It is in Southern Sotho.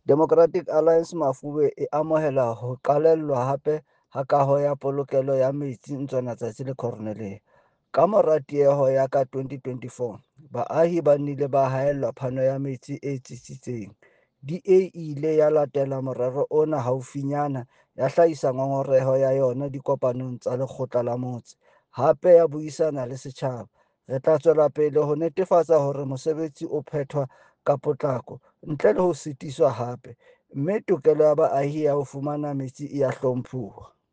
Democratic Alliance Mafube e amohela ho qalellwa hape ha kaho ya polokelo ya metsi Ntswanatsatsi le Cornelia. Kamora tieho ya ka 2024, baahi ba nnile ba haellwa phano ya metsi e tsitsitseng. DA e ile ya latela morero ona haufinyana ya hlahisa ngongoreho ya yona dikopanong tsa lekgotla la motse, hape ya buisana le setjhaba. Re tla tswela pele ho netefatsa hore mosebetsi o phethwa ka potlako ntle le ho sitiswa hape, mme tokelo ya baahi ya ho fumana metsi e a hlomphuwa.